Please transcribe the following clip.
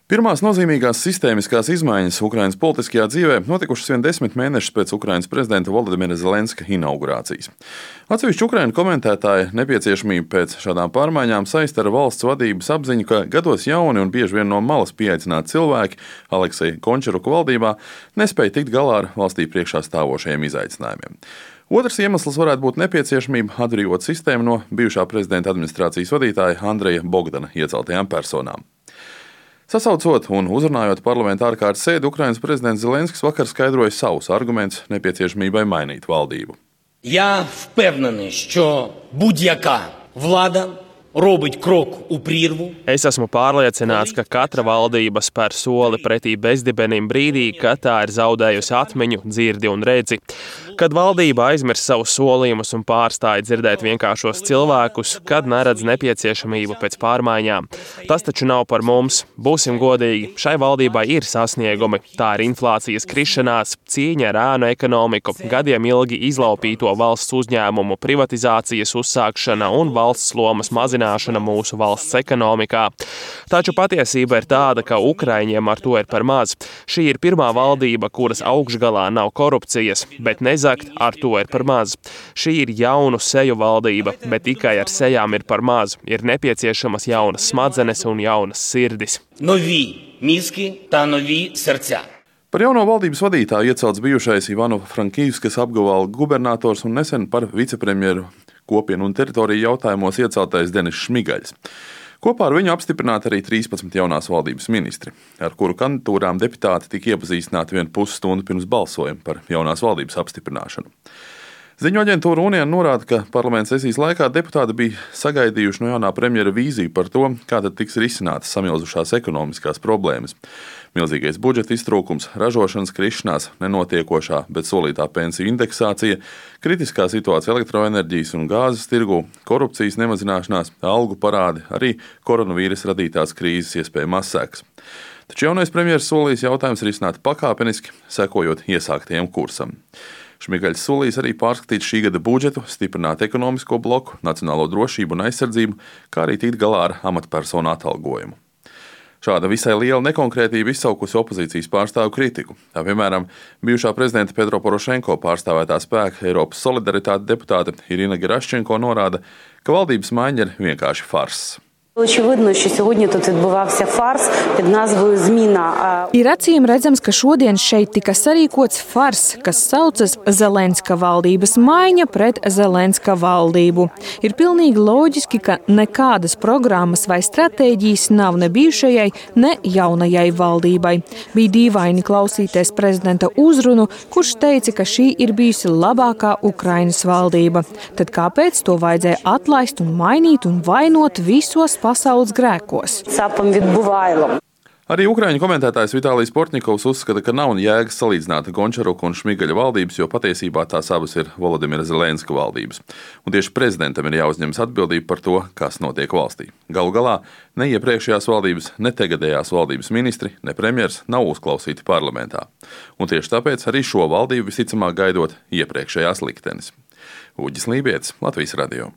Pirmās nozīmīgās sistēmiskās izmaiņas Ukrainas politiskajā dzīvē notikušas vien 10 mēnešus pēc Ukrainas prezidenta Volodimira Zelenska inaugurācijas. Atsevišķi Ukraiņu komentētāji nepieciešamību pēc šādām pārmaiņām saista ar valsts vadības apziņu, ka gados jauni un bieži vien no malas pieaicināti cilvēki Aleksija Gončaruka valdībā nespēja tikt galā ar valstī priekšā stāvošajiem izaicinājumiem. Otrs iemesls varētu būt nepieciešamība atbrīvot sistēmu no bijušā prezidenta administrācijas vadītāja Andreja Bogdana ieceltajām personām. Sasaucot un uzrunājot parlamenta ārkārtas sēdi, Ukrainas prezidents Zelenskis vakar skaidroja savus argumentus nepieciešamībai mainīt valdību. Я впевнений, що будь-яка влада робить krok u prírvu. Es esmu pārliecināts, ka katra valdība spēr soli pretī bezdibenim brīdī, kad tā ir zaudējusi atmiņu, dzirdi un redzi. Kad valdība aizmirst savus solījumus un pārstāja dzirdēt vienkāršos cilvēkus, kad neredz nepieciešamību pēc pārmaiņām. Tas taču nav par mums. Būsim godīgi, šai valdībai ir sasniegumi. Tā ir inflācijas krišanās, cīņa ar ēnu ekonomiku, gadiem ilgi izlaupīto valsts uzņēmumu privatizācijas uzsākšana un valsts lomas mazināšana mūsu valsts ekonomikā. Taču patiesība ir tāda, ka Ukraiņiem ar to ir par maz. Šī ir pirmā valdība, kuras augšgalā nav korupcijas, bet nezakt ar to ir par maz. Šī ir jaunu seju valdība, bet tikai ar sejām ir par maz. Ir nepieciešamas jaunas smadzenes un jaunas sirdis. Нові мізки та нові серця. Par jauno valdības vadītāju iecelts bijušais Ivano-Frankivskas apgabala gubernators un nesen par vicepremjeru kopienu un teritoriju jautājumos ieceltais Denis Šmigaļs. Kopā ar viņu apstiprināti arī 13 jaunās valdības ministri, ar kuru kandidatūrām deputāti tika iepazīstināti 1,5 stundu pirms balsojuma par jaunās valdības apstiprināšanu. Ziņu aģentūra Union norāda, ka parlamenta sesijas laikā deputāti bija sagaidījuši no jaunā premjera vīziju par to, kā tad tiks risinātas samilzušās ekonomiskās problēmas. Milzīgais budžeta iztrūkums, ražošanas krišanās, nenotiekošā, bet solītā pensiju indeksācija, kritiskā situācija elektroenerģijas un gāzes tirgū, korupcijas nemazināšanās, algu parādi, arī koronavīrusa radītās krīzes iespējamās sekas. Taču jaunais premjeras solījis jautājums risināt pakāpeniski, sekojot iesāktajam kursam. Šmigaļs solījis arī pārskatīt šī gada budžetu, stiprināt ekonomisko bloku, nacionālo drošību un aizsardzību, kā arī tikt galā ar amatpersonu atalgojumu. Šāda visai liela nekonkrētība izsaukusi opozīcijas pārstāvu kritiku. Tā, piemēram, bijušā prezidenta Petro Porošenko pārstāvētā spēka Eiropas solidaritāte deputāte Irina Geraščenko norāda, ka valdības maiņa ir vienkārši farss. Очевидно, що сьогодні тут відбувався фарс під назвою «Зміна». Ir acīm redzams, ka šodien šeit tika sarīkots fars, kas saucas Zelenska valdības maiņa pret Zelenska valdību. Ir pilnīgi loģiski, ka nekādas programmas vai stratēģijas nav ne bijušajai, ne jaunajai valdībai. Bija dīvaini klausīties prezidenta uzrunu, kurš teica, ka šī ir bijusi labākā Ukrainas valdība. Tad kāpēc to vajadzēja atlaist un mainīt un vainot visos pasaules grēkos? Arī Ukraiņu komentētājs Vitālijs Portņikovs uzskata, ka nav jēgas salīdzināt Gončaruka un Šmigaļa valdības, jo patiesībā tās abas ir Volodimira Zelenska valdības. Un tieši prezidentam ir jāuzņemas atbildība par to, kas notiek valstī. Galu galā ne iepriekšējās valdības, ne tagadējās valdības ministri, ne premjers nav uzklausīti parlamentā. Un tieši tāpēc arī šo valdību visticamāk gaidot iepriekšējās liktenis. Uģis Lībietis, Latvijas radio.